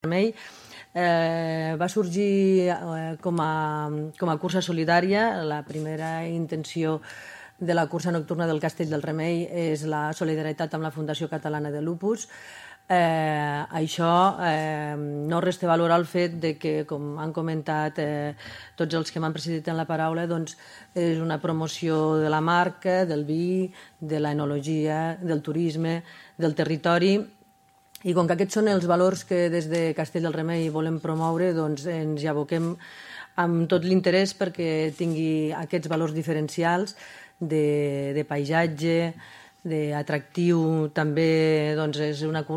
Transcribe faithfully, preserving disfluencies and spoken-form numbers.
Remei eh, va sorgir eh, com, a, com a cursa solidària. La primera intenció de la cursa nocturna del Castell del Remei és la solidaritat amb la Fundació Catalana de Lupus. Eh, això eh, no resta valor al fet de que, com han comentat eh, tots els que m'han precedit en la paraula, doncs és una promoció de la marca, del vi, de l'enologia, del turisme, del territori. I com que aquests són els valors que des de Castell del Remei volem promoure, doncs ens hi aboquem amb tot l'interès perquè tingui aquests valors diferencials de, de paisatge, d'atractiu. També doncs, és una cursa